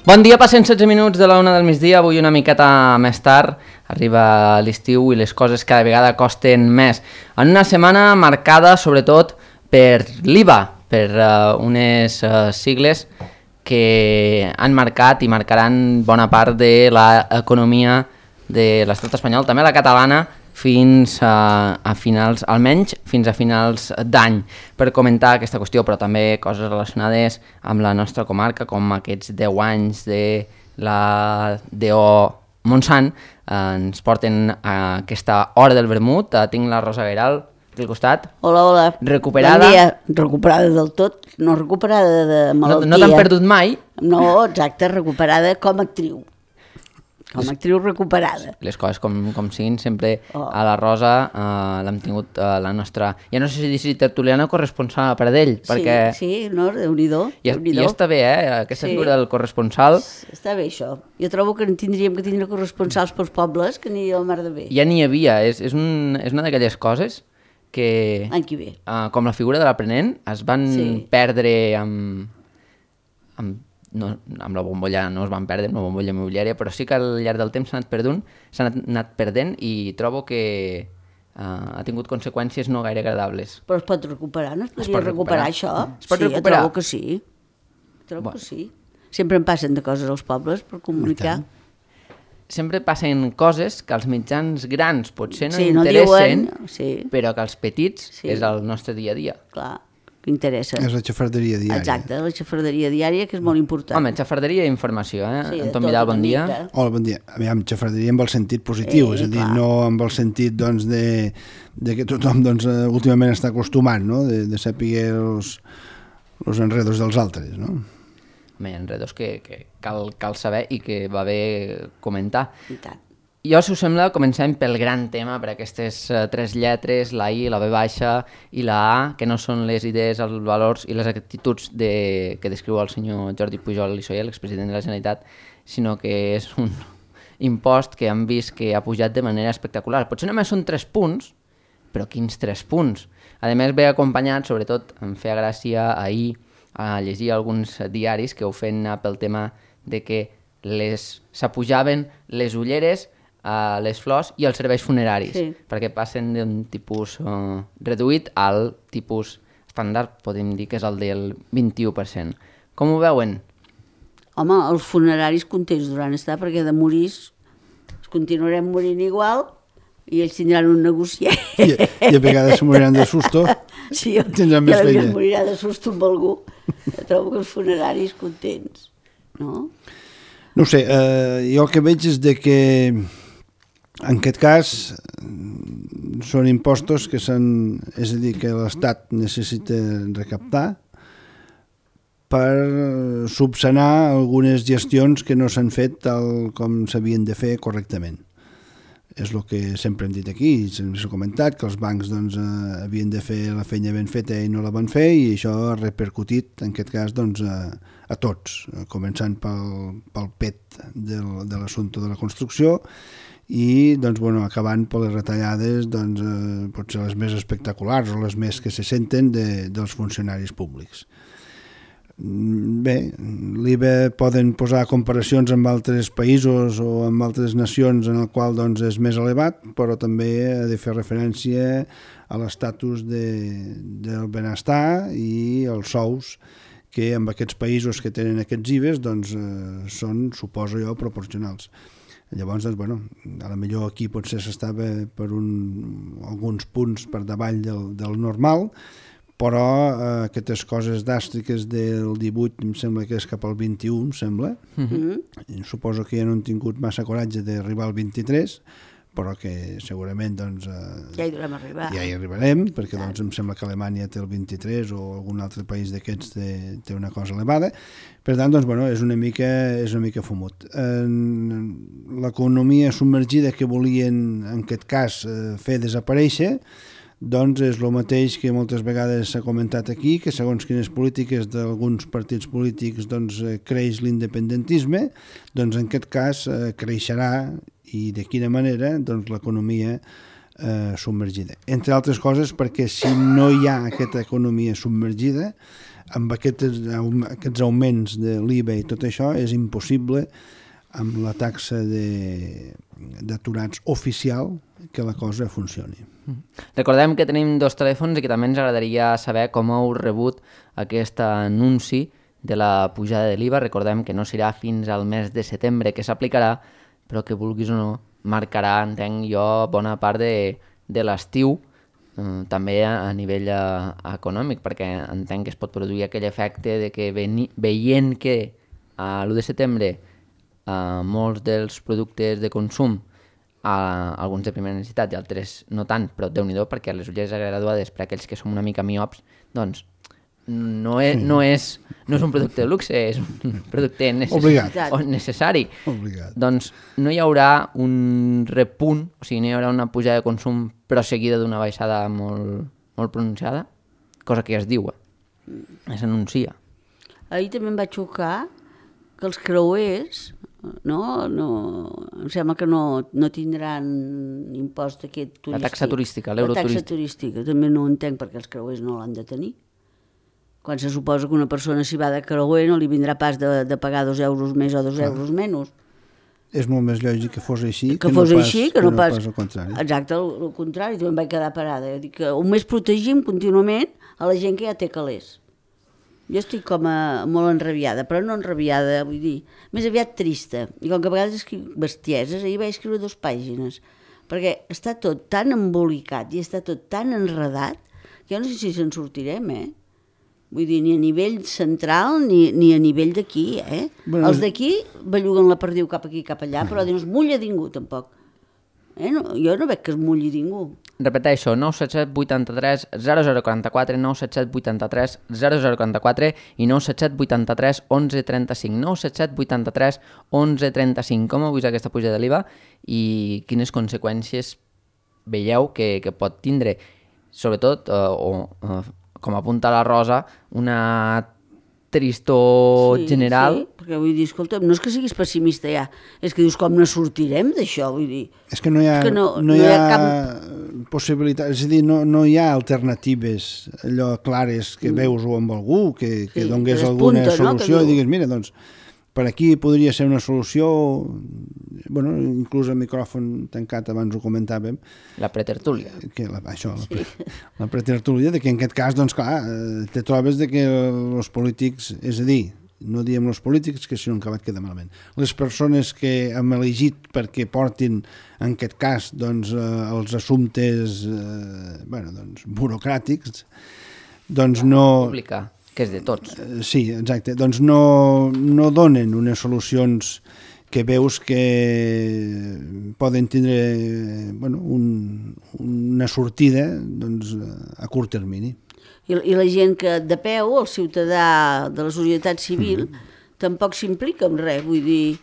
Bon dia, passen 16 minuts de la 1 del migdia, avui una miqueta més tard, arriba l'estiu i les coses cada vegada costen més. En una setmana marcada sobretot per l'IVA, per unes sigles que han marcat i marcaran bona part de l'economia de l'estat espanyol, també la catalana, fins a finals, almenys fins a finals d'any, per comentar aquesta qüestió, però també coses relacionades amb la nostra comarca, com aquests 10 anys de la DO Montsant, ens porten a aquesta hora del vermut. Tinc la Rosa Gairal aquí al costat. Hola, hola. Recuperada. Bon dia. Recuperada del tot, no recuperada de malaltia. No t'han perdut mai? No, exacte, recuperada com a actriu. Com a actriu recuperada. Les coses com siguin, sempre a la Rosa l'hem tingut la nostra, ja no sé si tertuliana o corresponsal per d'ell, perquè... Sí, no, Déu-n'hi-do. I està bé, aquesta figura del corresponsal. Està bé, això. Jo trobo que tindríem que tindre corresponsals pels pobles, que aniria al mar de bé. Ja n'hi havia, és una d'aquelles coses que... L'any que ve. Com la figura de l'aprenent, es van perdre amb la bombolla, no es van perdre amb la bombolla immobiliària, però sí que al llarg del temps s'han anat perdent i trobo que ha tingut conseqüències no gaire agradables. Però es pot recuperar, no es podria recuperar això? Es pot recuperar? Jo trobo que sí. Que sí. Sempre en passen de coses als pobles per comunicar. Sempre passen coses que els mitjans grans potser no interessen, però que els petits és el nostre dia a dia. Clar, que interessa. És la xafarderia diària. Exacte, la xafarderia diària, que és molt important. Home, xafarderia i informació, Anton Vidal, bon dia. Hola, bon dia. Aviam, xafarderia amb el sentit positiu, és a dir, no amb el sentit de que tothom últimament està acostumat, no? De saber els enredos dels altres, no? Home, hi ha enredos que cal saber i que va bé comentar. I tant. Jo, si us sembla, comencem pel gran tema, per aquestes 3 lletres, la I, la V baixa i la A, que no són les idees, els valors i les actituds que descriu el senyor Jordi Pujol i Soler, l'expresident de la Generalitat, sinó que és un impost que hem vist que ha pujat de manera espectacular. Potser només són 3 punts, però quins 3 punts? A més, ve acompanyat, sobretot, em feia gràcia ahir a llegir alguns diaris que ho feien pel tema de que s'apujaven les ulleres, les flors i els serveis funeraris, perquè passen d'un tipus reduït al tipus estàndard, podem dir que és el del 21%. Com ho veuen? Home, els funeraris contents durant estar, perquè de morir continuarem morint igual i ells tindran un negociat. I a vegades moriran de susto. Sí, tindran més feina. Morirà de susto amb algú. Jo trobo que els funeraris contents, no? No ho sé, jo el que veig és que en aquest cas són impostos que és a dir, que l'Estat necessita recaptar per subsanar algunes gestions que no s'han fet tal com s'havien de fer correctament. És el que sempre hem dit aquí, s'ha comentat que els bancs havien de fer la feina ben feta i no la van fer, i això ha repercutit en aquest cas a tots, començant pel pet de l'assumpte de la construcció i acabant per les retallades potser les més espectaculars o les més que se senten dels funcionaris públics. Bé, l'IVA poden posar comparacions amb altres països o amb altres nacions en el qual és més elevat, però també ha de fer referència a l'estatus del benestar i els sous que en aquests països que tenen aquests IVAs són, suposo jo, proporcionals. Llavors, a lo millor aquí potser s'estava per alguns punts per davall del normal, però aquestes coses dràstiques del 18 em sembla que és cap al 21, em sembla. Suposo que ja no han tingut massa coratge d'arribar al 23, però que segurament ja hi durem arribar. Ja hi arribarem, perquè em sembla que Alemanya té el 23 o algun altre país d'aquests té una cosa elevada. Per tant, és una mica fumut. L'economia submergida que volien, en aquest cas, fer desaparèixer, és el mateix que moltes vegades s'ha comentat aquí, que segons quines polítiques d'alguns partits polítics creix l'independentisme, en aquest cas creixerà, i de quina manera, l'economia submergida. Entre altres coses perquè si no hi ha aquesta economia submergida amb aquests augments de l'IVA i tot això és impossible amb la taxa d'aturats oficial que la cosa funcioni. Recordem que tenim 2 telèfons i que també ens agradaria saber com heu rebut aquest anunci de la pujada de l'IVA. Recordem que no serà fins al mes de setembre que s'aplicarà, però que vulguis o no marcarà, entenc jo, bona part de l'estiu, també a nivell econòmic, perquè entenc que es pot produir aquell efecte de que veient que a l'1 de setembre molts dels productes de consum, alguns de primera necessitat i altres no tant, però Déu-n'hi-do, perquè les ulleres graduades per aquells que som una mica miops, doncs no és un producte de luxe, és un producte necessari. Obligat. Doncs no hi haurà un repunt, o sigui, no hi haurà una pujada de consum però seguida d'una baixada molt pronunciada, cosa que ja es diu, es anuncia. Ahir també em va xocar que els creuers em sembla que no tindran impost aquest turístic. La taxa turística, l'euro turístic. La taxa turística, també no ho entenc perquè els creuers no l'han de tenir. Quan se suposa que una persona si va de creuer no li vindrà pas de pagar 2 euros més o 2 euros menys. És molt més lògic que fos així que no pas al contrari. Exacte, el contrari, també em vaig quedar parada. Dic que més protegim contínuament a la gent que ja té calés. Jo estic com molt enrabiada, però no enrabiada, vull dir, més aviat trista. I com que a vegades escric bestieses, ahir vaig escriure 2 pàgines, perquè està tot tan embolicat i està tot tan enredat que jo no sé si se'n sortirem, Vull dir, ni a nivell central ni a nivell d'aquí, Bueno, els d'aquí belluguen la perdiu cap aquí, cap allà, però no es mulla ningú, tampoc. Jo no veig que es mulli ningú. Repeteixo, 977 83 0044, 977 83 0044 i 977 83 11 35, 977 83 11 35. Com heu vist aquesta pujada de l'IVA i quines conseqüències veieu que pot tindre? Sobretot, com apunta la Rosa, una tristor general. Sí, perquè vull dir, escolta, no és que siguis pessimista ja, és que dius com no sortirem d'això, vull dir. És que no hi ha cap possibilitat, és a dir, no hi ha alternatives allò clares que veus-ho amb algú, que donés alguna solució i digues, mira, doncs, per aquí podria ser una solució, bueno, inclús el micròfon tancat abans ho comentàvem. La pretertúlia. La pretertúlia, que en aquest cas, doncs clar, te trobes que els polítics, és a dir, no diem els polítics, que si no encara et queda malament, les persones que hem elegit perquè portin, en aquest cas, doncs, els assumptes burocràtics, doncs no... Pública, que és de tots. Sí, exacte. Doncs no donen unes solucions que veus que poden tindre una sortida a curt termini. I la gent que de peu, el ciutadà de la societat civil, tampoc s'implica en res, vull dir,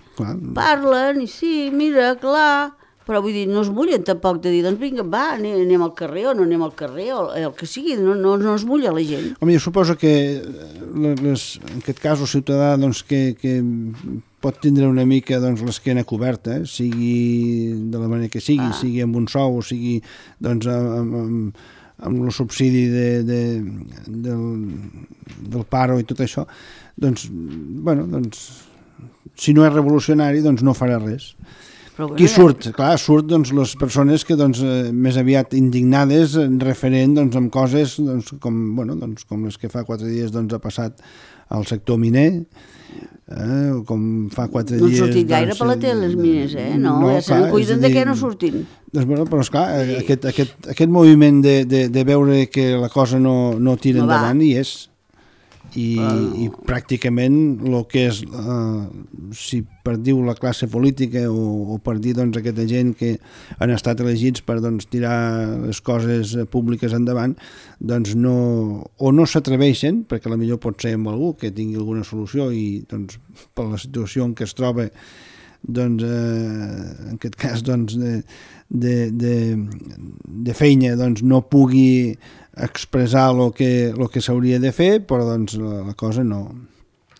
parlen i sí, mira, clar, però vull dir, no es mullen tampoc de dir, doncs vinga, va, anem al carrer o no anem al carrer, o el que sigui, no es mulla la gent. Home, jo suposo que en aquest cas el ciutadà que pot tindre una mica l'esquena coberta, sigui de la manera que sigui amb un sou, o sigui amb el subsidi del paro i tot això, doncs, si no és revolucionari, doncs no farà res. Qui surt? Clar, surt les persones que més aviat indignades referent amb coses com les que fa 4 dies ha passat al sector miner, com fa 4 dies... No han sortit gaire per la tele les mines, no? Ja se'n cuiden de què no surtin. Però esclar, aquest moviment de veure que la cosa no tira endavant hi és. I pràcticament el que és, si per dir la classe política o per dir aquesta gent que han estat elegits per tirar les coses públiques endavant, doncs no s'atreveixen, perquè potser pot ser amb algú que tingui alguna solució i per la situació en què es troba, en aquest cas de feina no pugui expressar el que s'hauria de fer, però la cosa no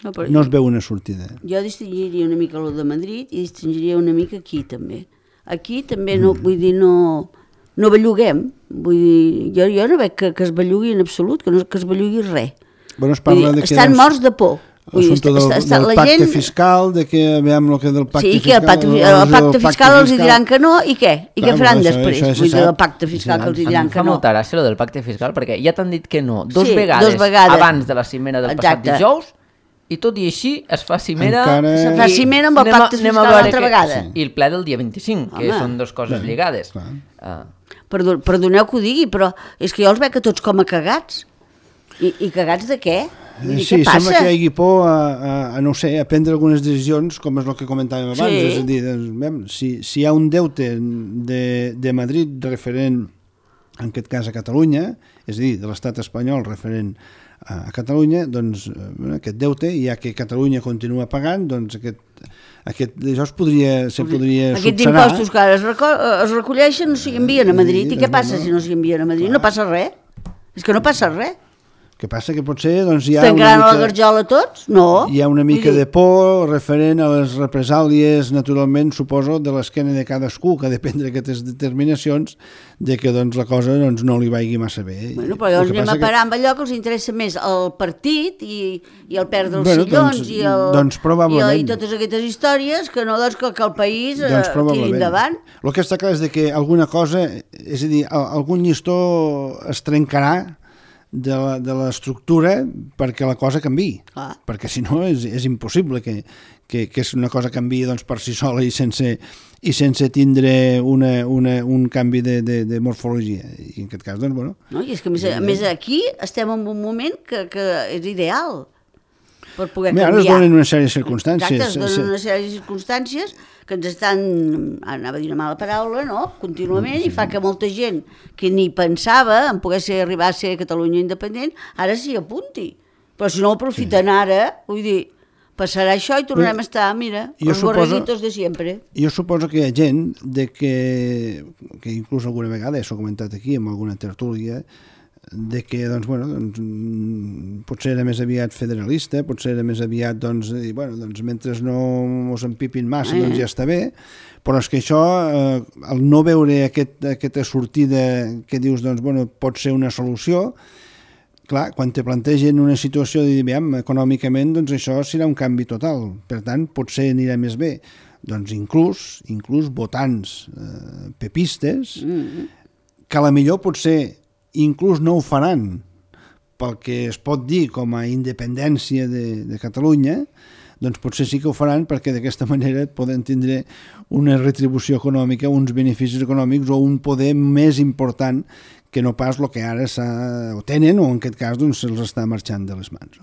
es veu una sortida. Jo distingiria una mica el de Madrid i distingiria una mica aquí també. Aquí també vull dir, no belluguem, vull dir, jo no veig que es bellugui en absolut, que es bellugui res. Bueno, es parla de que, estan morts de por. L'assumpte del pacte fiscal, de que veiem el que del pacte fiscal... Sí, que el pacte fiscal els diran que no, i què? I què faran després? Vull dir, del pacte fiscal que els diran que no. Em fa molta gràcia el del pacte fiscal, perquè ja t'han dit que no dos vegades abans de la cimera del passat dijous, i tot i així es fa cimera... Se fa cimera amb el pacte fiscal l'altra vegada. I el ple del dia 25, que són dues coses lligades. Perdoneu que ho digui, però és que jo els veig a tots com a cagats. I cagats de què? Sí, sembla que hi hagi por a no sé, a prendre algunes decisions, com és el que comentàvem abans. És a dir, doncs, si hi ha un deute de Madrid referent, en aquest cas a Catalunya, és a dir, de l'estat espanyol referent a Catalunya, doncs aquest deute, ja que Catalunya continua pagant, doncs això se podria subsanar. Aquests impostos que ara es recolleixen no s'hi envien a Madrid. I què passa si no s'hi envien a Madrid? No passa res. És que no passa res. Que passa que potser doncs, hi ha estan creant la garjola tots? No. Hi ha una mica de por referent a les represàlies, naturalment, suposo, de l'esquena de cadascú, que ha de prendre aquestes determinacions de que doncs, la cosa doncs, no li vagi massa bé. Bueno, però llavors anem a parar amb allò que els interessa més el partit i el perdre els sillons i totes aquestes històries que no doncs, que el país tiri endavant. El que està clar és que alguna cosa, és a dir, algun llistó es trencarà de l'estructura perquè la cosa canviï, perquè si no és impossible que una cosa canviï doncs, per si sola i sense tindre un canvi de morfologia, i en aquest cas doncs, bueno... No, i és que a més aquí estem en un moment que és ideal per poder canviar. Ara es donen una sèrie de circumstàncies. Exacte, es donen una sèrie de circumstàncies que ens estan, anava a dir una mala paraula, no?, contínuament, i fa que molta gent que ni pensava en poder arribar a ser Catalunya independent, ara s'hi apunti. Però si no ho aprofiten ara, vull dir, passarà això i tornarem a estar, mira, els borreguitos de sempre. Jo suposo que hi ha gent que inclús alguna vegada, s'ho he comentat aquí, en alguna tertúlia, de que doncs, potser era més aviat federalista, potser era més aviat dir, mentre no ens empipin massa doncs ja està bé, però és que això, el no veure aquesta sortida que dius pot ser una solució, clar, quan te plantegen una situació de dir, econòmicament doncs això serà un canvi total, per tant potser anirà més bé, doncs inclús votants pepistes que a la millor potser inclús no ho faran pel que es pot dir com a independència de Catalunya, doncs potser sí que ho faran perquè d'aquesta manera poden tindre una retribució econòmica, uns beneficis econòmics o un poder més important que no pas el que ara ho tenen o en aquest cas doncs, se'ls està marxant de les mans.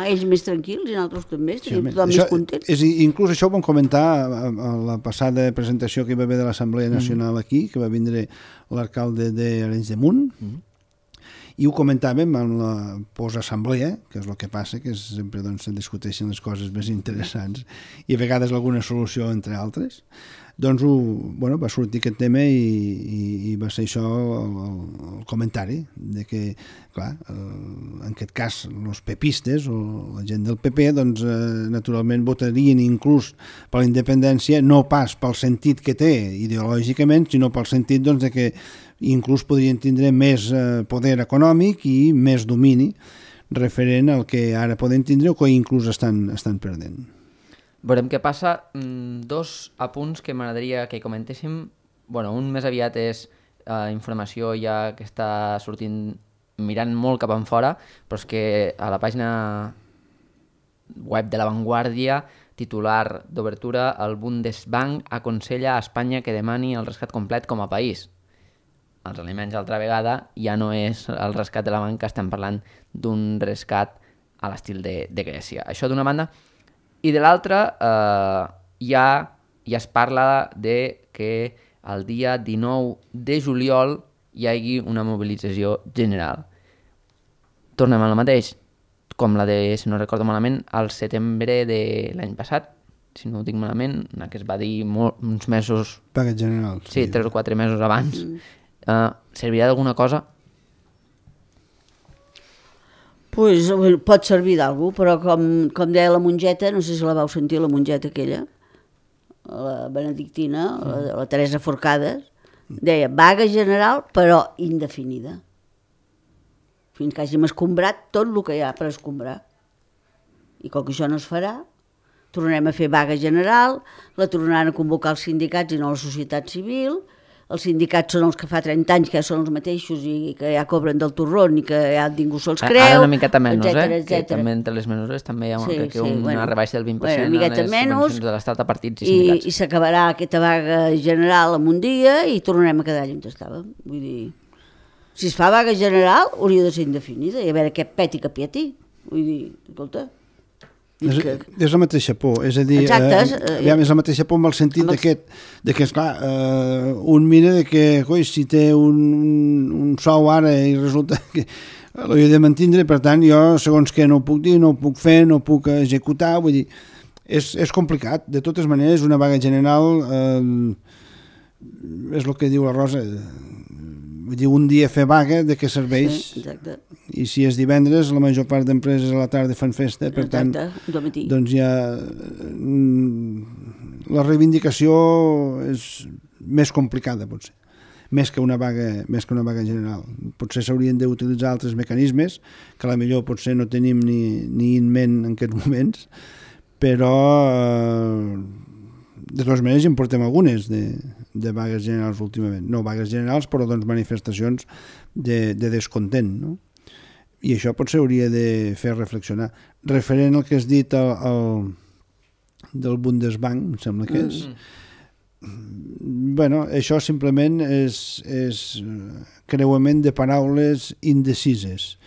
Ells més tranquils i nosaltres també, estem tothom més contents. Inclús això ho vam comentar a la passada presentació que hi va haver de l'Assemblea Nacional aquí, que va vindre l'alcalde d'Arenys de Munt, i ho comentàvem en la posassemblea, que és el que passa, que sempre se discuteixen les coses més interessants i a vegades alguna solució entre altres. Doncs va sortir aquest tema i va ser això el comentari, de que, clar, en aquest cas, els pepistes o la gent del PP, doncs, naturalment votarien inclús per la independència, no pas pel sentit que té ideològicament, sinó pel sentit doncs, de que inclús podrien tindre més poder econòmic i més domini referent al que ara poden tindre o que inclús estan perdent. Veurem què passa. Dos apunts que m'agradaria que comentéssim. Un més aviat és informació ja que està sortint mirant molt cap enfora, però és que a la pàgina web de La Vanguardia, titular d'obertura, el Bundesbank aconsella a Espanya que demani el rescat complet com a país. Els aliments altra vegada ja no és el rescat de la banca, estem parlant d'un rescat a l'estil de Grècia. Això d'una banda. I de l'altra, ja es parla de que el dia 19 de juliol hi hagi una mobilització general. Tornem al mateix, com la de, si no recordo malament, al setembre de l'any passat, si no ho dic malament, una que es va dir uns mesos... Paga general. Sí, 3 o 4 mesos abans. Servirà d'alguna cosa? Pues, pot servir d'algú, però com deia la mongeta, no sé si la vau sentir, la mongeta aquella, la benedictina, la Teresa Forcades, deia vaga general però indefinida. fins que hàgim escombrat tot el que hi ha per escombrar. I com que això no es farà, tornarem a fer vaga general, la tornaran a convocar els sindicats i no la societat civil. Els sindicats són els que fa 30 anys que ja són els mateixos i que ja cobren del torrón i que ja ningú se'ls creu. Ara una miqueta menys, etcètera. Que també entre les mesures també hi ha una rebaixa del 20% una miqueta en les menys, subvencions de l'Estat a partits i sindicats. I s'acabarà aquesta vaga general en un dia i tornarem a quedar allà on estàvem. Vull dir, si es fa vaga general hauria de ser indefinida i a veure què peti que pieti. Vull dir, escolta... És la mateixa por, és a dir, és la mateixa por en el sentit de que esclar, un mira de que si té un sou ara i resulta que l'he de mantindre, per tant jo segons que no ho puc dir, no ho puc fer, no ho puc executar, vull dir, és complicat. De totes maneres, una vaga general és el que diu la Rosa, vull dir, un dia fer vaga, de què serveix? Sí, exacte. I si és divendres, la major part d'empreses a la tarda fan festa, per tant, doncs ja la reivindicació és més complicada, potser, més que una vaga general. Potser s'haurien d'utilitzar altres mecanismes, que a la millor potser no tenim ni en ment en aquests moments, però de totes maneres en portem algunes de vagues generals últimament. No vagues generals, però doncs manifestacions de descontent, no? I això potser hauria de fer reflexionar. Referent al que has dit del Bundesbank, em sembla que és, bueno, això simplement és creuament de paraules indecises.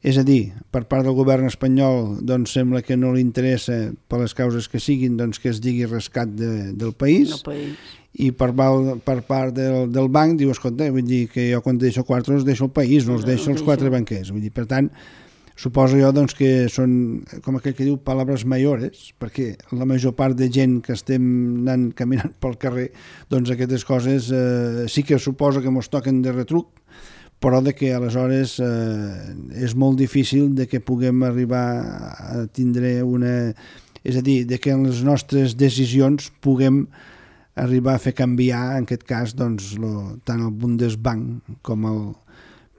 És a dir, per part del govern espanyol doncs sembla que no li interessa, per les causes que siguin, doncs que es digui rescat del país, i per part del banc diu, escolta, vull dir que jo quan deixo quartos deixo el país, no els deixo els quatre banquers. Vull dir, per tant, suposo jo doncs, que són, com aquell que diu, paraules mayores, perquè la major part de gent que estem anant caminant pel carrer, doncs aquestes coses sí que suposo que mos toquen de retruc, però de que aleshores és molt difícil de que puguem arribar a tindre una... És a dir, de que en les nostres decisions puguem arribar a fer canviar, en aquest cas, doncs, tant el Bundesbank com el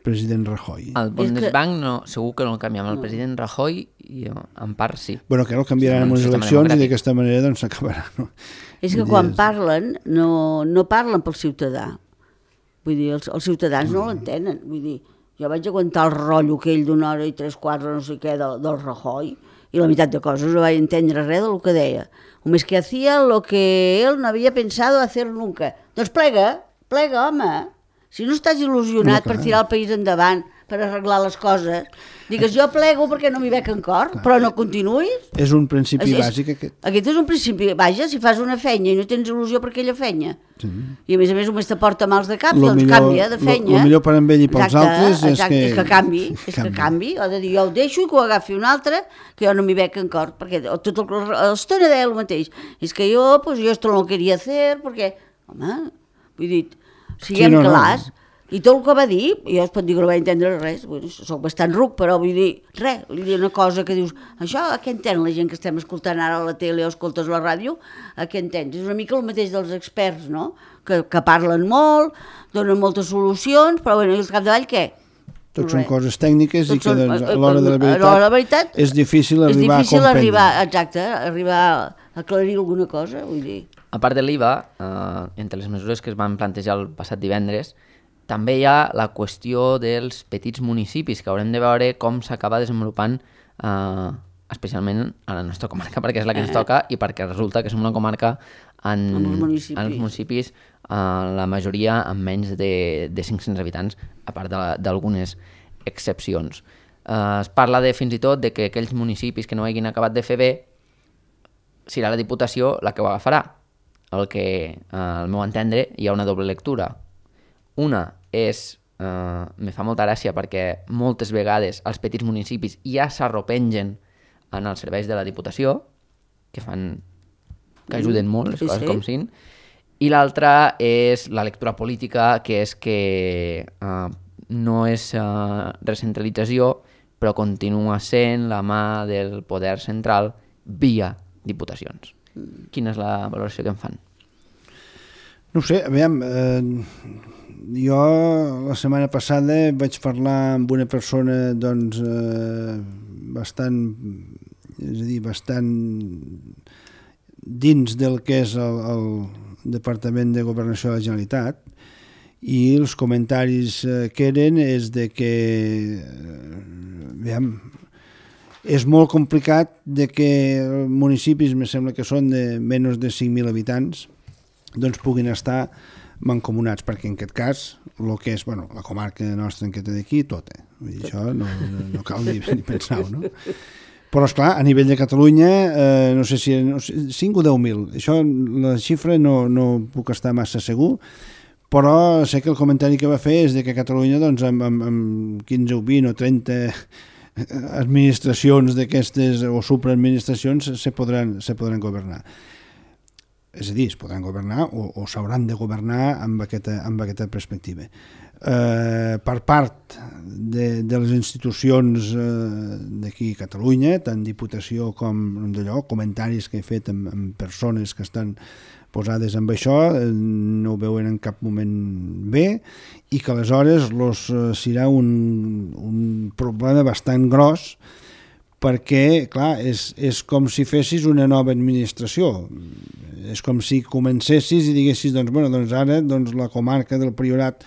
president Rajoy. El Bundesbank no, segur que no el canviem. El president Rajoy, i en part sí. Bueno, que no el canviaran en les eleccions i d'aquesta manera doncs s'acabarà. No? És que quan parlen, no parlen pel ciutadà. Vull dir, els ciutadans no l'entenen. Vull dir, jo vaig aguantar el rotllo aquell d'una hora i 3/4, no sé què, del Rajoy, i la meitat de coses no vaig entendre res del que deia. Només que hacía lo que él no había pensado hacer nunca. Doncs plega, home. Si no estàs il·lusionat per tirar el país endavant, per arreglar les coses, digues jo plego perquè no m'hi veig en cor, però no continuïs. És un principi bàsic aquest. Aquest és un principi, vaja, si fas una fenya i no tens il·lusió per aquella fenya, i a més només te porta mals de cap, doncs canvia de fenya. El millor per amb ell i pels altres és que canvi, ha de dir jo ho deixo i que ho agafi un altre, que jo no m'hi veig en cor, perquè tot l'estona deia el mateix, és que jo esto no lo quería hacer, perquè, home, vull dir, siguem clars. I tot el que va dir, jo es pot dir que no vaig entendre res, soc bastant ruc, però vull dir, res, vull dir una cosa que dius, això a què entén la gent que estem escoltant ara a la tele o escoltes a la ràdio, a què entens? És una mica el mateix dels experts, no? Que parlen molt, donen moltes solucions, però bueno, i al capdavall què? Tots són coses tècniques i que doncs, a l'hora de la veritat és difícil arribar a comprendre. Exacte, arribar a aclarir alguna cosa, vull dir. A part de l'IVA, entre les mesures que es van plantejar el passat divendres, també hi ha la qüestió dels petits municipis, que haurem de veure com s'acaba desenvolupant especialment a la nostra comarca, perquè és la que ens toca i perquè resulta que som una comarca en els municipis, la majoria amb menys de 500 habitants, a part d'algunes excepcions. Es parla fins i tot de que aquells municipis que no hagin acabat de fer bé, serà la Diputació la que ho agafarà. El que, al meu entendre, hi ha una doble lectura. Una és, me fa molta gràcia perquè moltes vegades els petits municipis ja s'arropengen en els serveis de la Diputació, que ajuden molt les coses com siguin, i l'altra és la lectura política, que és que no és recentralització, però continua sent la mà del poder central via diputacions. Quina és la valoració que en fan? No ho sé, aviam, jo la setmana passada vaig parlar amb una persona doncs bastant, és a dir, bastant dins del que és el Departament de Governació de la Generalitat, i els comentaris que eren és de que aviam, és molt complicat de que municipis, me sembla que són de menys de 5.000 habitants, doncs puguin estar mancomunats, perquè en aquest cas el que és, bueno, la comarca nostra en què té d'aquí, tota. Vull dir, això no cal ni pensar-ho, no? Però, esclar, a nivell de Catalunya, no sé si 5 o 10.000, això, la xifra no puc estar massa segur, però sé que el comentari que va fer és de que a Catalunya, doncs, amb 15 o 20 o 30 administracions d'aquestes o supraadministracions se podran governar. És a dir, es podran governar o s'hauran de governar amb aquesta perspectiva. Per part de les institucions d'aquí a Catalunya, tant Diputació com d'allò, comentaris que he fet amb persones que estan posades amb això, no ho veuen en cap moment bé, i que aleshores serà un problema bastant gros, perquè, clar, és com si fessis una nova administració. És com si comencessis i diguessis, doncs ara la comarca del Priorat,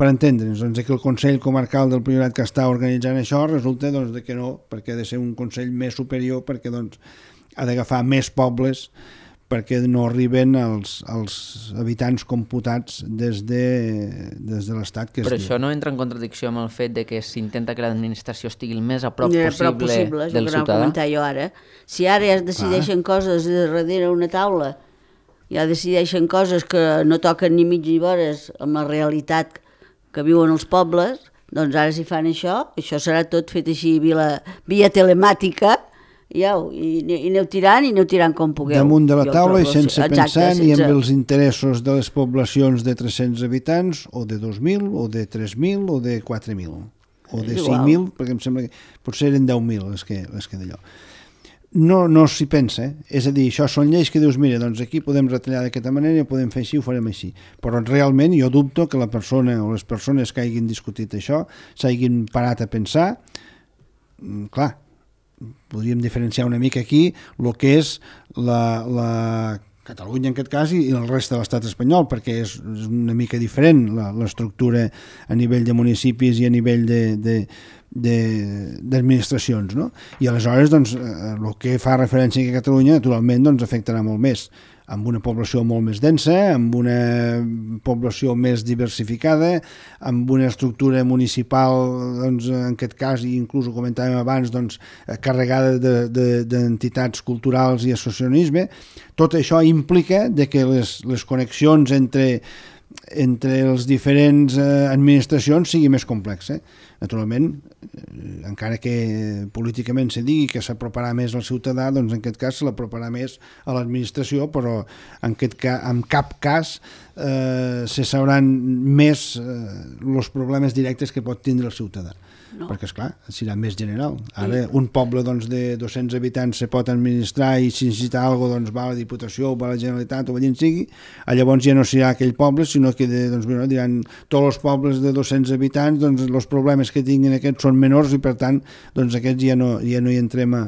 per entendre'ns, doncs que el Consell Comarcal del Priorat que està organitzant això resulta que no, perquè ha de ser un Consell més superior, perquè ha d'agafar més pobles perquè no arriben els habitants computats des de l'Estat. Però això no entra en contradicció amb el fet de que s'intenta que l'administració estigui el més a prop possible del ciutadà? Jo ara. Si ara ja es decideixen coses darrere una taula, ja decideixen coses que no toquen ni mig ni vores amb la realitat que viuen els pobles, doncs ara si fan això serà tot fet així via telemàtica, i aneu tirant com pugueu. Damunt de la taula i sense pensar ni amb els interessos de les poblacions de 300 habitants o de 2.000 o de 3.000 o de 4.000 o de 5.000, perquè em sembla que potser eren 10.000 les que d'allò. No s'hi pensa, és a dir, això són lleis que dius, mira, doncs aquí podem retallar d'aquesta manera, podem fer així, ho farem així, però realment jo dubto que la persona o les persones que hagin discutit això s'hagin parat a pensar, clar, podríem diferenciar una mica aquí el que és la Catalunya en aquest cas i el reste de l'estat espanyol, perquè és una mica diferent l'estructura a nivell de municipis i a nivell d'administracions, no? I aleshores doncs, el que fa referència a Catalunya naturalment doncs, afectarà molt més, amb una població molt més densa, amb una població més diversificada, amb una estructura municipal, doncs, en aquest cas, i inclús ho comentàvem abans, doncs, carregada d'entitats culturals i associacionisme. Tot això implica que les connexions entre les diferents administracions sigui més complexa. Naturalment, encara que políticament se digui que s'aproparà més al ciutadà, doncs en aquest cas se l'aproparà més a l'administració, però en cap cas se sabran més els problemes directes que pot tindre el ciutadà. No. Perquè, esclar, serà més general. Ara, un poble de 200 habitants se pot administrar i si necessita alguna cosa doncs, va a la Diputació o va a la Generalitat o allà en sigui, llavors ja no serà aquell poble, sinó que diran tots els pobles de 200 habitants, doncs els problemes que tinguin aquests són menors i per tant doncs, aquests ja no hi entrem a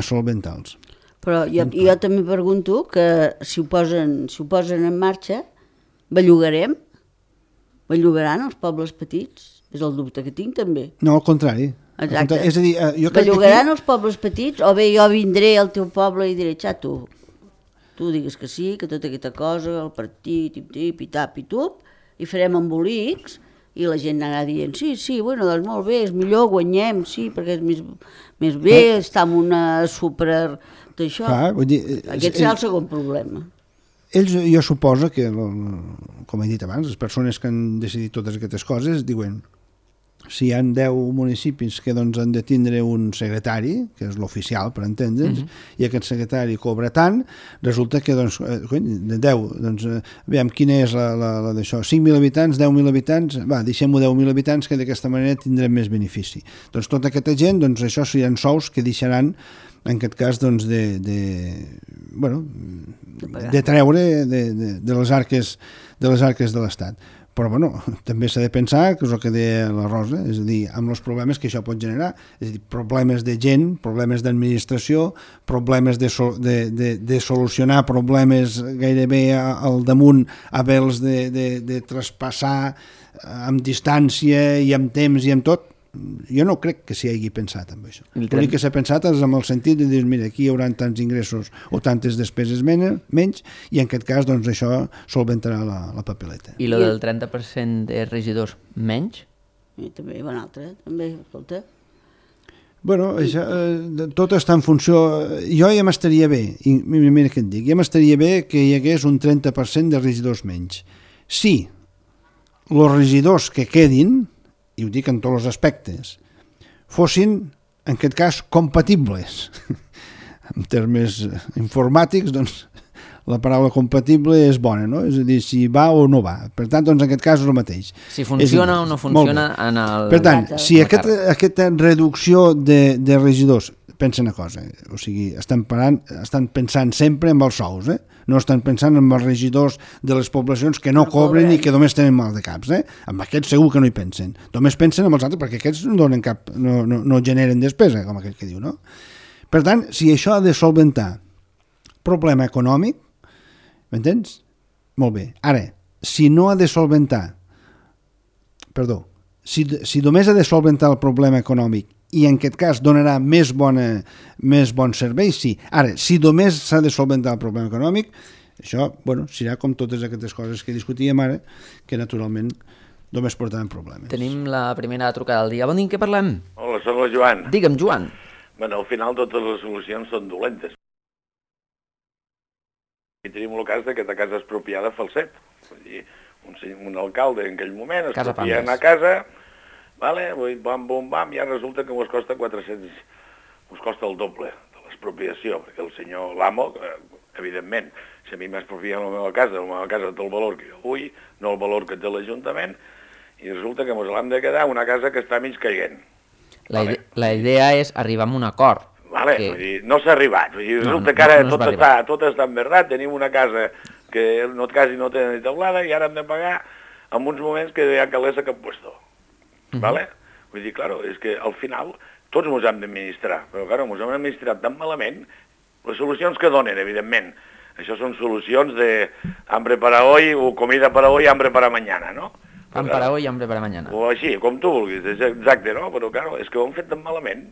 solventar-los. Però jo també pregunto que si ho posen en marxa, bellugaran els pobles petits? És el dubte que tinc, també. No, al contrari. Exacte. És a dir, jo crec bellugaran els pobles petits o bé jo vindré al teu poble i diré, xato, tu digues que sí, que tota aquesta cosa, el partit, i tap i tup, i farem embolics i la gent anarà dient, sí, bueno, doncs molt bé, és millor, guanyem, sí, perquè és més bé, està en una super d'això. Aquest serà el segon problema. Ells, jo suposo que, com he dit abans, les persones que han decidit totes aquestes coses diuen, si hi ha 10 municipis que doncs, han de tindre un secretari, que és l'oficial, per entendre'ns, i aquest secretari cobra tant, resulta que doncs, de 10, doncs, veiem quina és la d'això, 5.000 habitants, 10.000 habitants, va, deixem-ho 10.000 habitants, que d'aquesta manera tindrem més benefici. Doncs tota aquesta gent, doncs això seran sous que deixaran en aquest cas doncs, de treure de les arques de les arques de l'Estat. Però bueno, també s'ha de pensar, que és el que deia la Rosa, és a dir, amb els problemes que això pot generar, és a dir, problemes de gent, problemes d'administració, problemes de solucionar problemes gairebé al damunt, haver-los de traspassar amb distància i amb temps i amb tot. Jo no crec que s'hi hagi pensat amb això. L'únic que s'ha pensat és amb el sentit de dir, mira, aquí hi haurà tants ingressos o tantes despeses menys, i en aquest cas doncs, això solventarà la papeleta. I lo del 30% de regidors menys? I també hi ha un altre, també, escolta. Bueno, això, tot està en funció... Jo ja m'estaria bé, i mira què et dic, ja m'estaria bé que hi hagués un 30% de regidors menys. Si els regidors que quedin, i ho dic en tots els aspectes, fossin, en aquest cas, compatibles. En termes informàtics, doncs, la paraula compatible és bona, no? És a dir, si va o no va. Per tant, doncs, en aquest cas és el mateix. Si funciona o no funciona en el... Per tant, si aquesta reducció de regidors, pensa una cosa, o sigui, estan pensant sempre en els sous, no estan pensant en els regidors de les poblacions que no cobren i que només tenen mal de caps. Amb aquests segur que no hi pensen. Només pensen en els altres perquè aquests no donen cap, no generen despesa, com aquell que diu, no? Per tant, si això ha de solventar problema econòmic, m'entens? Molt bé. Ara, si no ha de solventar, perdó, si només ha de solventar el problema econòmic i en aquest cas donarà més bon servei, sí. Ara, si només s'ha de solventar el problema econòmic, això, bueno, serà com totes aquestes coses que discutíem ara, que naturalment només portaran problemes. Tenim la primera trucada del dia. Bon dia, què parlem? Hola, soc el Joan. Digue'm, Joan. Bueno, al final totes les solucions són dolentes. I tenim el cas que aquesta casa expropiada falset. Vull dir, un alcalde en aquell moment expropia una casa, vale? Bam, bum, bam, i ara resulta que us costa 400, us costa el doble de l'expropiació, perquè el senyor l'amo, evidentment, si a mi m'expropien la meva casa té el valor que jo vull, no el valor que té l'Ajuntament, i resulta que ens l'hem de quedar una casa que està mig caient. La idea és arribar a un acord. Vale, vull dir, no s'ha arribat, vull dir, resulta que ara tot està enverdat, tenim una casa que quasi no té ni teulada i ara hem de pagar en uns moments que hi ha calés a cap puesto. ¿Vale? Vull dir, claro, és que al final tots ens hem d'administrar, però claro, ens hem administrat tan malament, les solucions que donen, evidentment, això són solucions de hambre para hoy, o comida para hoy, hambre para mañana, no? Pan para hoy, hambre para mañana. O així, com tu vulguis, exacte, no? Però claro, és que ho han fet tan malament,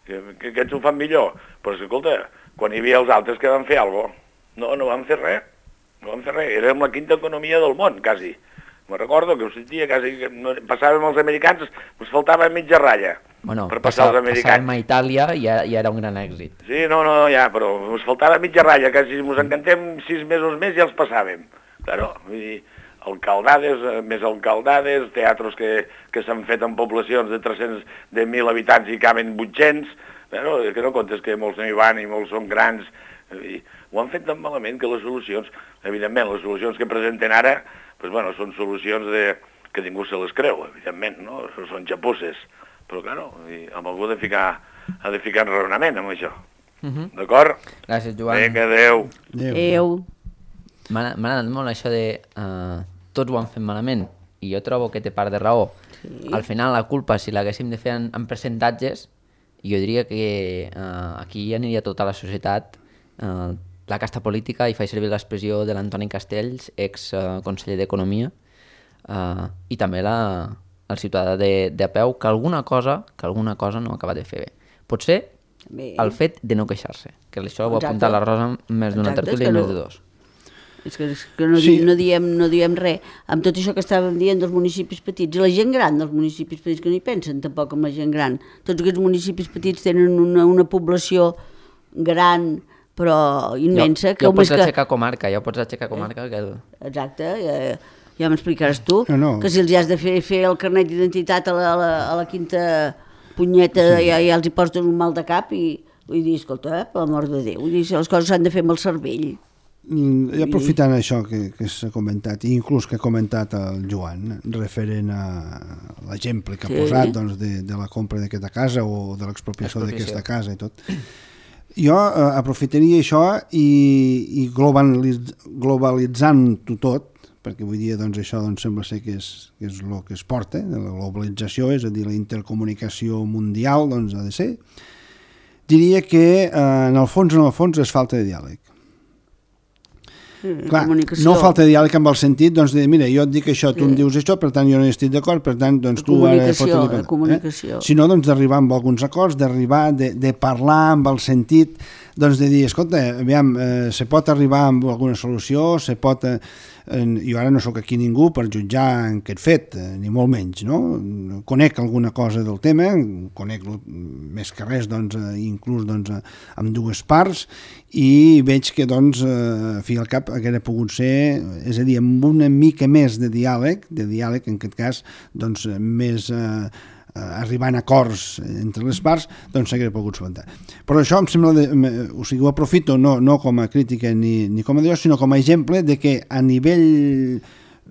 que aquests ho fan millor. Però escolta, quan hi havia els altres que van fer alguna cosa, no van fer res, érem la quinta economia del món, quasi. Me recordo que ho sentia quasi, passàvem els americans, ens faltava mitja ratlla per passar els americans. Passàvem a Itàlia i ja era un gran èxit. Sí, ja, però ens faltava mitja ratlla, quasi ens encantem 6 mesos més i els passàvem. Claro, vull dir, alcaldades, més alcaldades, teatres que s'han fet en poblacions de 300, de 1.000 habitants i caben 800, però és que no comptes que molts no hi van i molts són grans. Ho han fet tan malament que les solucions, evidentment, les solucions que presenten ara, pues bueno, són solucions que ningú se les creu, evidentment, no? Són xapusses. Però, claro, amb algú ha de ficar en raonament amb això. D'acord? Gràcies, Joan. Vinga, adéu. Adéu. M'ha agradat molt això de tots ho han fet malament, i jo trobo que té part de raó. Sí. Al final, la culpa, si l'haguéssim de fer en percentatges, jo diria que aquí aniria tota la societat, la casta política, i faig servir l'expressió de l'Antoni Castells, ex-conseller d'Economia, i també el ciutadà de a peu, que alguna cosa no acaba de fer bé. Potser el fet de no queixar-se, que això ho ha apuntat la Rosa més d'una tertúlia i més de dos. És que no diem res. Amb tot això que estàvem dient dels municipis petits, i la gent gran dels municipis petits, que no hi pensen tampoc amb la gent gran. Tots aquests municipis petits tenen una població gran, però immensa. Ja ho pots aixecar comarca, Exacte, ja m'explicaràs tu, que si els has de fer el carnet d'identitat a la quinta punyeta ja els hi posen un mal de cap i vull dir, escolta, per l'amor de Déu, vull dir, les coses s'han de fer amb el cervell. I aprofitant això que s'ha comentat, i inclús que ha comentat el Joan, referent a l'exemple que ha posat de la compra d'aquesta casa o de l'expropiació d'aquesta casa i tot, jo aprofitaria això i globalitzant-ho tot, perquè avui dia doncs, això doncs, sembla ser que és el que es porta, la globalització, és a dir, la intercomunicació mundial, doncs ha de ser. Diria que en el fons és falta de diàleg. Clar, no falta diàleg amb el sentit doncs, de, mira, jo et dic això, tu em dius això, per tant jo no hi estic d'acord, per tant doncs, tu ara comunicació. Sinó doncs, d'arribar amb alguns acords, d'arribar, de parlar amb el sentit, doncs de dir, escolta, aviam, se pot arribar amb alguna solució, se pot... jo ara no sóc aquí ningú per jutjar aquest fet, ni molt menys, no? Conec alguna cosa del tema, conec més que res, doncs, inclús doncs, amb dues parts, i veig que, doncs, a fi al cap hauria pogut ser, és a dir, amb una mica més de diàleg, en aquest cas, doncs, més... arribant a acords entre les parts, doncs s'hauria pogut solventar. Però això em sembla, o sigui, ho aprofito no com a crítica ni com a Déu, sinó com a exemple de que a nivell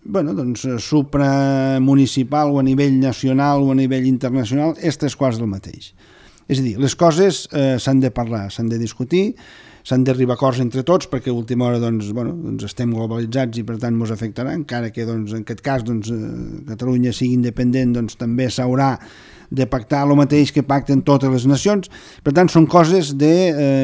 doncs, supramunicipal o a nivell nacional o a nivell internacional és tres quarts del mateix. És a dir, les coses s'han de parlar, s'han de discutir, s'han d'arribar a acords entre tots perquè a última hora doncs, estem globalitzats i per tant ens afectarà, encara que doncs, en aquest cas Catalunya sigui independent, doncs, també s'haurà de pactar el mateix que pacten totes les nacions. Per tant, són coses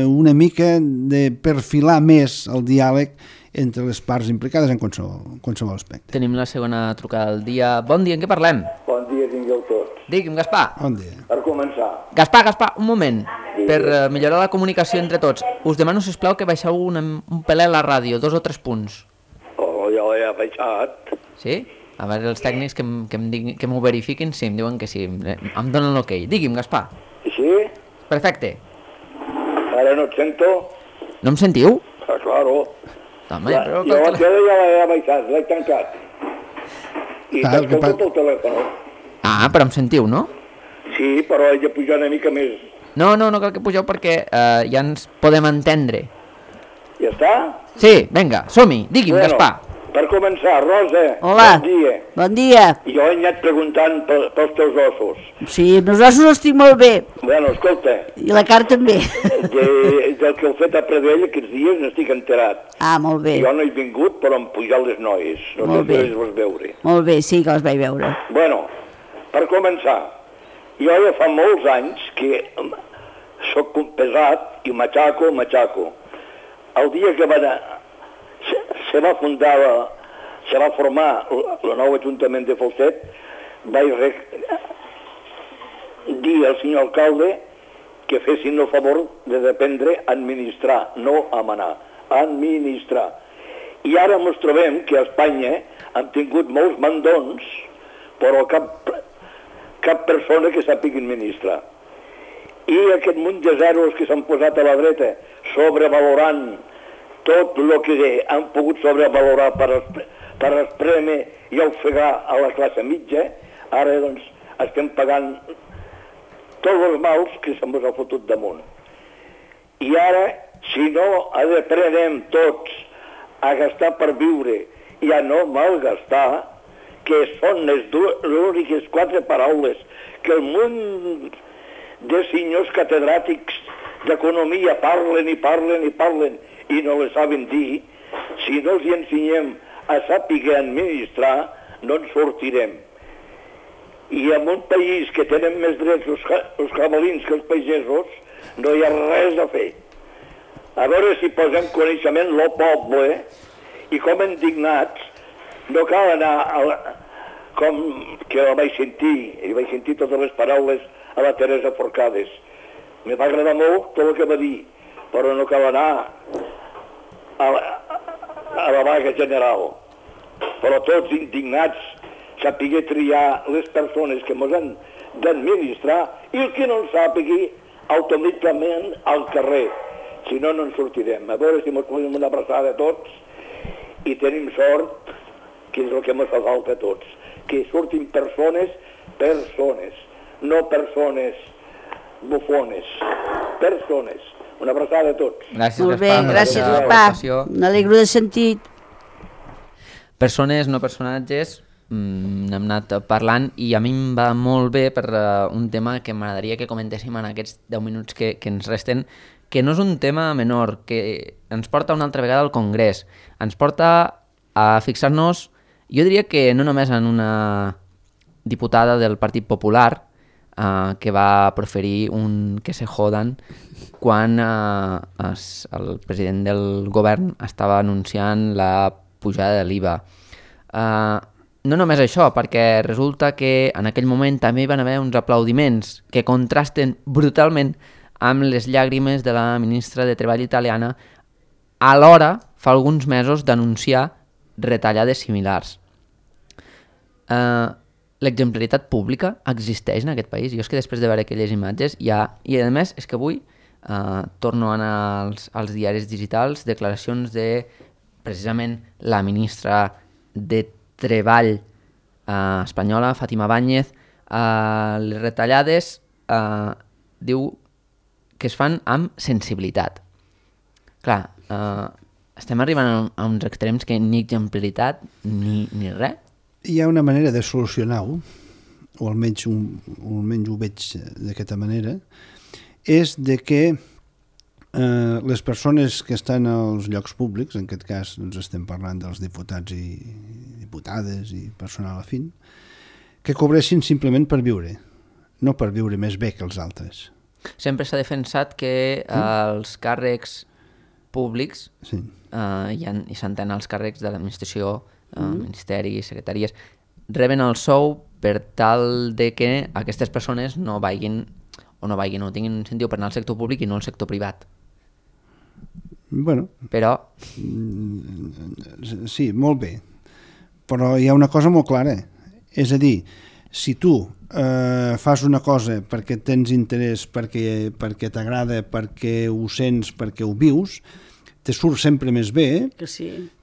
una mica de perfilar més el diàleg entre les parts implicades en qualsevol aspecte. Tenim la segona trucada del dia. Bon dia, en què parlem? Bon dia, tingueu tots. Digui'm, Gaspar. Bon dia. Per començar. Gaspar, un moment. Per millorar la comunicació entre tots, us demano, sisplau, que baixeu un pelet la ràdio, 2 o 3 punts. Oh, ja l'he baixat. Sí? A veure, els tècnics que m'ho verifiquin, sí, em diuen que sí. Em donen l'ok. Digui'm, Gaspar. Sí? Perfecte. Ara no et sento? No em sentiu? Claro. Home, però... Jo la tele ja l'he baixat, l'he tancat. I t'escolto pel telèfon. Ah, però em sentiu, no? Sí, però he de pujar una mica més. No cal que pugeu perquè ja ens podem entendre. Ja està? Sí, vinga, som-hi. Digui'm, Gaspar. Per començar, Rosa, hola. Bon dia. Bon dia. Jo he anat preguntant pels teus ossos. Sí, els ossos els tinc molt bé. Bueno, escolta. I la carn també. Del que heu fet a Pradell aquests dies n'estic enterat. Ah, molt bé. Jo no he vingut, però han pujat les noies. No sé si les vas veure. Molt bé, sí que les vaig veure. Bueno, per començar, jo ja fa molts anys que soc pesat i matxaco. El dia que se va formar el nou Ajuntament de Falset, vaig dir al senyor alcalde que fessin el favor de dependre administrar, no a manar, administrar. I ara ens trobem que a Espanya han tingut molts mandons, però cap persona que sàpiga administrar. I aquest munt de zeros que s'han posat a la dreta, sobrevalorant tot el que han pogut sobrevalorar per espremer i ofegar a la classe mitja, ara doncs estem pagant tots els mals que se'ns ha fotut damunt. I ara, si no aprenem tots a gastar per viure i a no malgastar, que són les úniques 4 paraules que el munt de senyors catedràtics d'economia parlen i no les saben dir, si no els ensenyem a saber administrar, no ens sortirem. I en un país que tenen més drets els cavalins que els pagesos, no hi ha res a fer. A veure si posem coneixement lo poble i com indignats, no cal anar com que la vaig sentir, i vaig sentir totes les paraules a la Teresa Forcades. Me va agradar molt tot el que va dir, però no cal anar a la vaga general. Però tots indignats, saber triar les persones que ens han d'administrar i el que no en sàpigui automàticament al carrer. Si no, no ens sortirem. A veure si ens podem una abraçada a tots i tenim sort, que és el que ens fa falta a tots, que surtin persones, no persones bufones, persones. Una abraçada a tots. Gràcies, molt bé, Gaspar. gràcies, Gaspar. M'alegro de sentir. Persones, no personatges, n'hem anat parlant i a mi em va molt bé per un tema que m'agradaria que comentéssim en aquests 10 minuts que ens resten, que no és un tema menor, que ens porta una altra vegada al Congrés, ens porta a fixar-nos Jo diria que no només en una diputada del Partit Popular que va proferir un que se jodan quan el president del govern estava anunciant la pujada de l'IVA. No només això, perquè resulta que en aquell moment també hi van haver uns aplaudiments que contrasten brutalment amb les llàgrimes de la ministra de Treball italiana a l'hora, fa alguns mesos, d'anunciar retallades similars. L'exemplaritat pública existeix en aquest país. Jo és que després de veure aquelles imatges I a més és que avui torno a anar als diaris digitals, declaracions de precisament la ministra de Treball espanyola, Fátima Báñez. Les retallades diu que es fan amb sensibilitat. Clar, estem arribant a uns extrems que ni exemplaritat ni res. Hi ha una manera de solucionar-ho, o almenys ho veig d'aquesta manera, és de que les persones que estan als llocs públics, en aquest cas doncs estem parlant dels diputats i diputades i personal afín, que cobressin simplement per viure, no per viure més bé que els altres. Sempre s'ha defensat que els càrrecs públics i s'entén els càrrecs de l'administració, ministeris, secretaries, reben el sou per tal de que aquestes persones no tinguin un incentiu per anar al sector públic i no al sector privat. Bueno, però... Sí, molt bé. Però hi ha una cosa molt clara. És a dir, si tu fas una cosa perquè tens interès, perquè t'agrada, perquè ho sents, perquè ho vius, te surt sempre més bé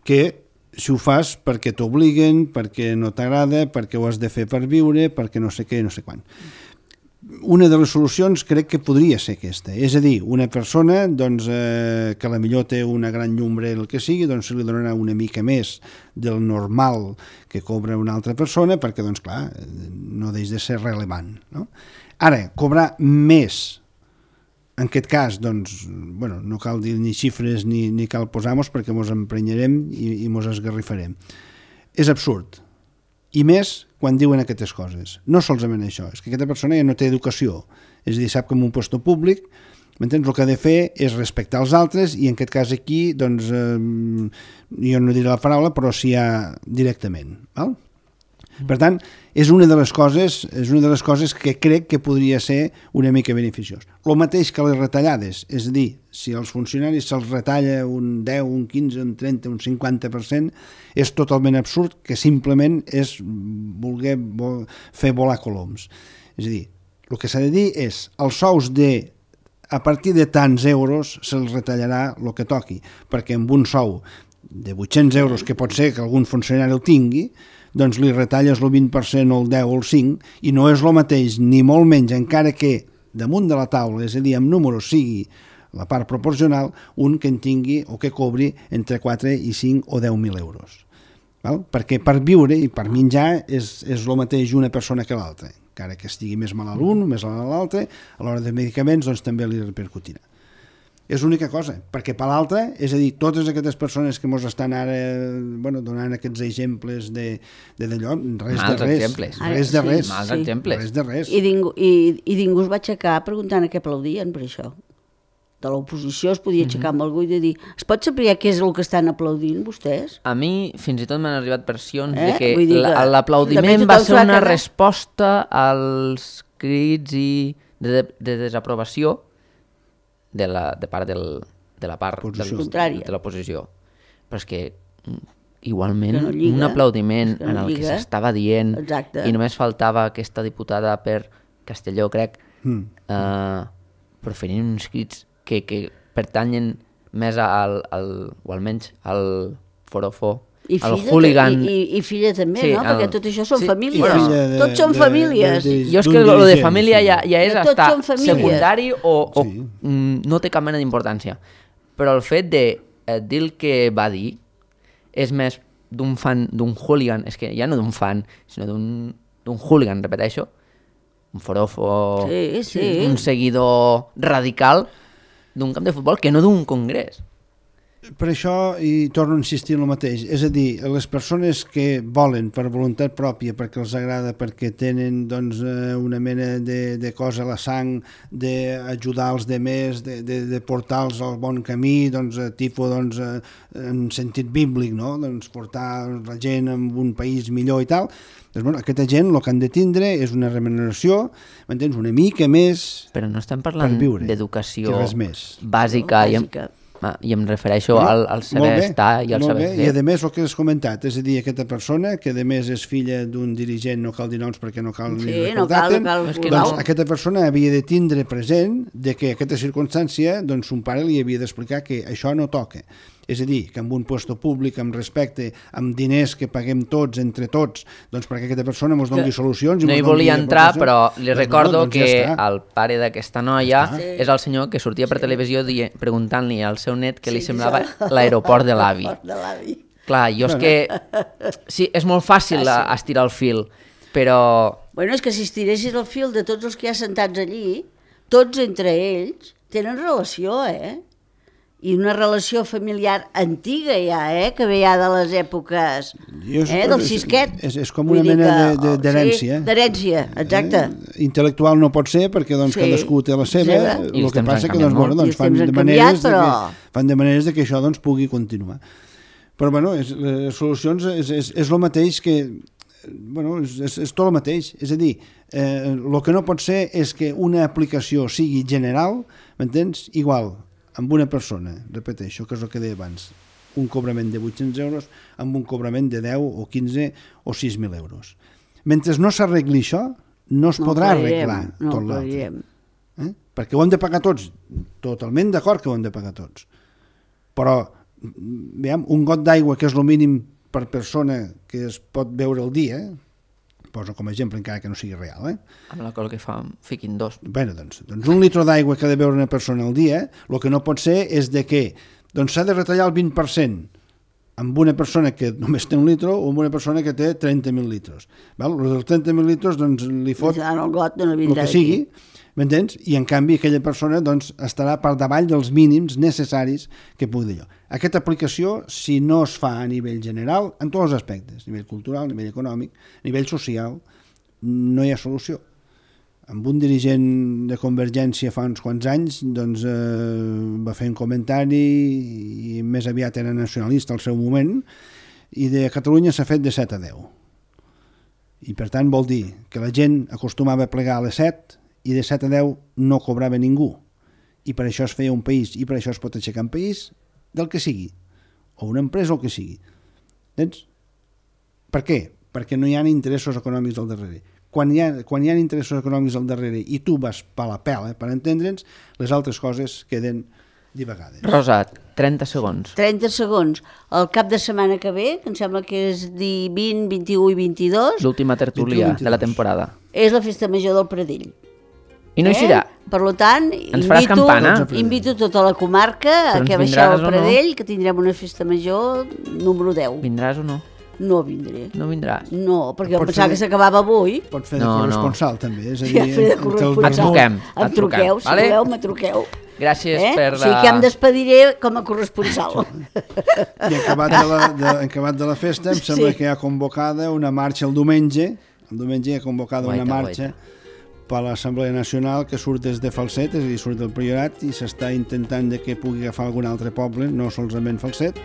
que si ho fas perquè t'obliguen, perquè no t'agrada, perquè ho has de fer per viure, perquè no sé què, no sé quan. Una de les solucions crec que podria ser aquesta. És a dir, una persona doncs, que a la millor té una gran llumbre, el que sigui, doncs se li donarà una mica més del normal que cobra una altra persona perquè, doncs clar, no deix de ser rellevant. No? Ara, cobrar més, en aquest cas, doncs, bueno, no cal dir ni xifres ni cal posar-nos perquè ens emprenyarem i ens esgarrifarem. És absurd. I més quan diuen aquestes coses. No solament això, és que aquesta persona ja no té educació. És a dir, sap que en un lloc públic, m'entens? El que ha de fer és respectar els altres i en aquest cas aquí, doncs, jo no diré la paraula, però sí directament. Val? Per tant, és una de les coses que crec que podria ser una mica beneficiós. El mateix que les retallades, és a dir, si als funcionaris se'ls retalla un 10, un 15, un 30, un 50%, és totalment absurd, que simplement és voler fer volar coloms. És a dir, el que s'ha de dir és els sous a partir de tants euros se'ls retallarà el que toqui, perquè amb un sou de 800 euros, que pot ser que algun funcionari el tingui, doncs li retalles el 20% o el 10 o el 5 i no és el mateix, ni molt menys, encara que damunt de la taula, és a dir, amb números sigui la part proporcional, un que en tingui o que cobri entre 4 i 5 o 10.000 euros. Val? Perquè per viure i per menjar és el mateix una persona que l'altra. Encara que estigui més malalt un, més malalt l'altre, a l'hora de medicaments doncs també li repercutirà. És l'única cosa, perquè per l'altra, és a dir, totes aquestes persones que ens estan ara donant aquests exemples d'allò, res de res. I ningú es va aixecar preguntant a què aplaudien per això. De l'oposició es podia aixecar amb algú i de dir, es pot saber què és el que estan aplaudint vostès? A mi fins i tot m'han arribat versions de que l'aplaudiment va ser una resposta als crits de desaprovació de la part de l'oposició. Però és que igualment un aplaudiment en el que s'estava dient i només faltava aquesta diputada per Castelló, crec, proferint uns crits que pertanyen més o almenys al forofó, al hooligan. I filla també, no? Perquè tot això són famílies. Tots són famílies. Jo és que el de família ja és hasta secundari o no té cap mena d'importància. Però el fet de dir el que va dir és més d'un fan, d'un hooligan, és que ja no d'un fan, sinó d'un hooligan, repeteixo, un forofo, un seguidor radical d'un camp de futbol que no d'un congrés. Per això, i torno a insistir en el mateix, és a dir, les persones que volen per voluntat pròpia, perquè els agrada, perquè tenen doncs, una mena de cosa a la sang, d'ajudar els demés, de portar-los al bon camí, doncs, tipus, doncs, en sentit bíblic, no? Doncs, portar la gent a un país millor i tal. Doncs, bueno, aquesta gent el que han de tindre és una remuneració, m'entens, una mica més. Però no estem parlant d'educació bàsica. I em refereixo al saber estar i al saber fer. I a més el que has comentat, és a dir, aquesta persona que a més és filla d'un dirigent, no cal dir noms perquè no cal ni recordar-te'n, doncs aquesta persona havia de tindre present que aquesta circumstància, doncs son pare li havia d'explicar que això no toca. És a dir, que amb un puesto públic, amb respecte, amb diners que paguem tots, entre tots, doncs perquè aquesta persona ens doni solucions. No hi volia entrar, però li recordo que el pare d'aquesta noia és el senyor que sortia per televisió preguntant-li al seu net què li semblava l'aeroport de l'avi. Clar, jo és que... Sí, és molt fàcil estirar el fil, però... Bueno, és que si estiressis el fil de tots els que hi ha sentats allí, tots entre ells tenen relació, i una relació familiar antiga ja, que ve ja de les èpoques del Sisquet. És com una mena d'herència. Sí, d'herència, exacte. Intel·lectual no pot ser perquè cadascú té la seva, el que passa que fan de maneres que això pugui continuar. Però bueno, les solucions és el mateix que... Bueno, és tot el mateix. És a dir, el que no pot ser és que una aplicació sigui general, m'entens? Igual, amb una persona, repeteixo, que és el que deia abans, un cobrament de 800 euros amb un cobrament de 10 o 15 o 6.000 euros. Mentre no s'arregli això, no es podrà arreglar tot l'altre. Perquè ho hem de pagar tots, totalment d'acord que ho hem de pagar tots. Però, veiem, un got d'aigua, que és el mínim per persona que es pot beure al dia, poso com a exemple encara que no sigui real. Amb la qual que fiquin dos. Bé, doncs un litre d'aigua que ha de beure una persona al dia, el que no pot ser és que s'ha de retallar el 20% amb una persona que només té un litre o amb una persona que té 30.000 litres. Els dels 30.000 litres li fot el que sigui, m'entens? I en canvi aquella persona estarà per davall dels mínims necessaris que pugui dir allò. Aquesta aplicació, si no es fa a nivell general, en tots els aspectes, a nivell cultural, a nivell econòmic, a nivell social, no hi ha solució. Amb un dirigent de Convergència fa uns quants anys va fer un comentari i més aviat era nacionalista al seu moment i de Catalunya s'ha fet de 7 a 10. I per tant vol dir que la gent acostumava a plegar a les 7 i de 7 a 10 no cobrava ningú. I per això es feia un país i per això es pot aixecar un país del que sigui, o una empresa o el que sigui. Entens? Per què? Perquè no hi ha interessos econòmics al darrere. Quan hi ha interessos econòmics al darrere i tu vas per la pela, per entendre'ns, les altres coses queden divagades. Rosa, 30 segons. 30 segons. El cap de setmana que ve, que em sembla que és 20, 21 i 22... L'última tertúlia de la temporada. És la festa major del Pradell. I no hi serà? Per tant, invito tota la comarca a que baixeu al Pradell, que tindrem una festa major número 10. Vindràs o no? No vindré. No vindràs? No, perquè pensava que s'acabava avui. Pot fer de corresponsal, també. És a dir, em truqueu, si voleu, me truqueu. Gràcies per la... O sigui que em despediré com a corresponsal. I acabat de la festa, em sembla que hi ha convocada una marxa el diumenge. El diumenge hi ha convocada una marxa per l'Assemblea Nacional que surt des de Falset, és a dir, surt del Priorat, i s'està intentant que pugui agafar algun altre poble, no solament Falset,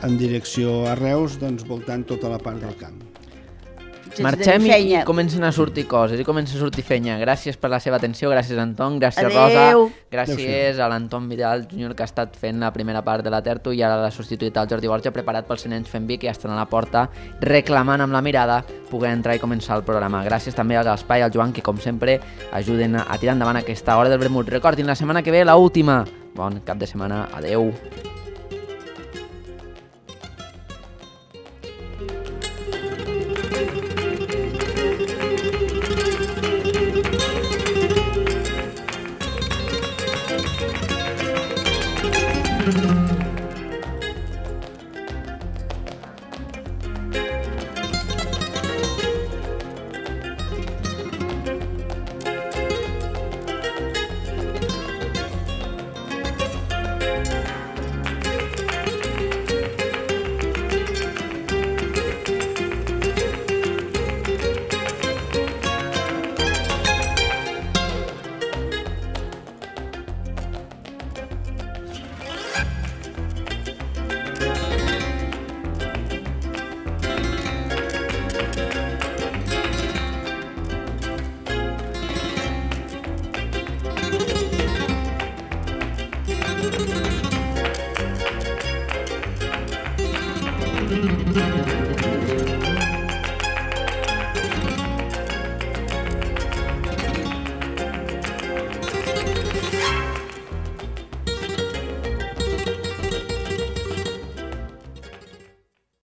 en direcció a Reus, voltant tota la part del camp. Marxem i comencen a sortir coses, i comença a sortir fenya. Gràcies per la seva atenció, gràcies Anton, gràcies Rosa, gràcies a l'Anton Vidal Júnior que ha estat fent la primera part de la tertúlia i ara l'ha substituït el Jordi Borja, preparat pels Nens Fent Vi, que ja estan a la porta reclamant amb la mirada poder entrar i començar el programa. Gràcies també a l'Espai i al Joan, que com sempre ajuden a tirar endavant aquesta hora del vermut. Recordin, la setmana que ve l'última. Bon cap de setmana, adeu. Adéu.